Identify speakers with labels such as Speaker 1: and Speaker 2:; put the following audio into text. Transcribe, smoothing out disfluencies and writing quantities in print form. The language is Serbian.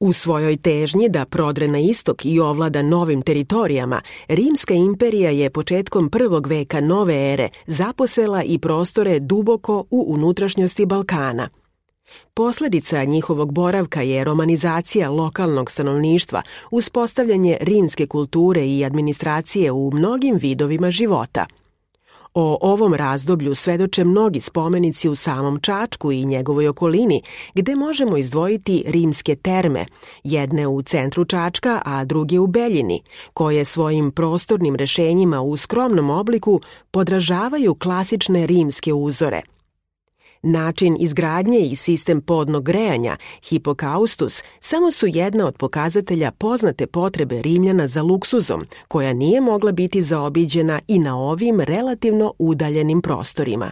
Speaker 1: U svojoj težnji da prodre na istok i ovlada novim teritorijama, Rimska imperija je početkom 1. veka nove ere zaposela i prostore duboko u unutrašnjosti Balkana. Posledica njihovog boravka je romanizacija lokalnog stanovništva, uspostavljanje rimske kulture i administracije u mnogim vidovima života. O ovom razdoblju svedoče mnogi spomenici u samom Čačku i njegovoj okolini, gde možemo izdvojiti rimske terme, jedne u centru Čačka, a druge u Beljini, koje svojim prostornim rešenjima u skromnom obliku podražavaju klasične rimske uzore. Način izgradnje i sistem podnog grejanja, hipokaustus, samo su jedna od pokazatelja poznate potrebe Rimljana za luksuzom, koja nije mogla biti zaobiđena i na ovim relativno udaljenim prostorima.